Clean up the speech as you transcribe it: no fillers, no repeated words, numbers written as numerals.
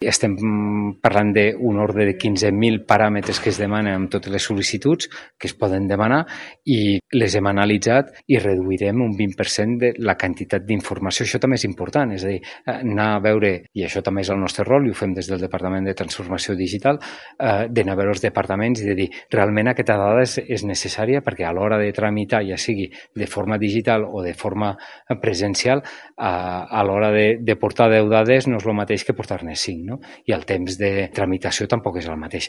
Estem parlant d'un ordre de 15.000 paràmetres que es demanen amb totes les sol·licituds que es poden demanar i les hem analitzat i reduirem un 20% de la quantitat d'informació. Això també és important, és a dir, anar a veure, i això també és el nostre rol i ho fem des del Departament de Transformació Digital, d'anar a veure els departaments i de dir realment aquesta dada és necessària perquè a l'hora de tramitar, ja sigui de forma digital o de forma presencial, a l'hora de portar 10 dades no és el mateix que portar-ne 5, no? I el temps de tramitació tampoc és el mateix.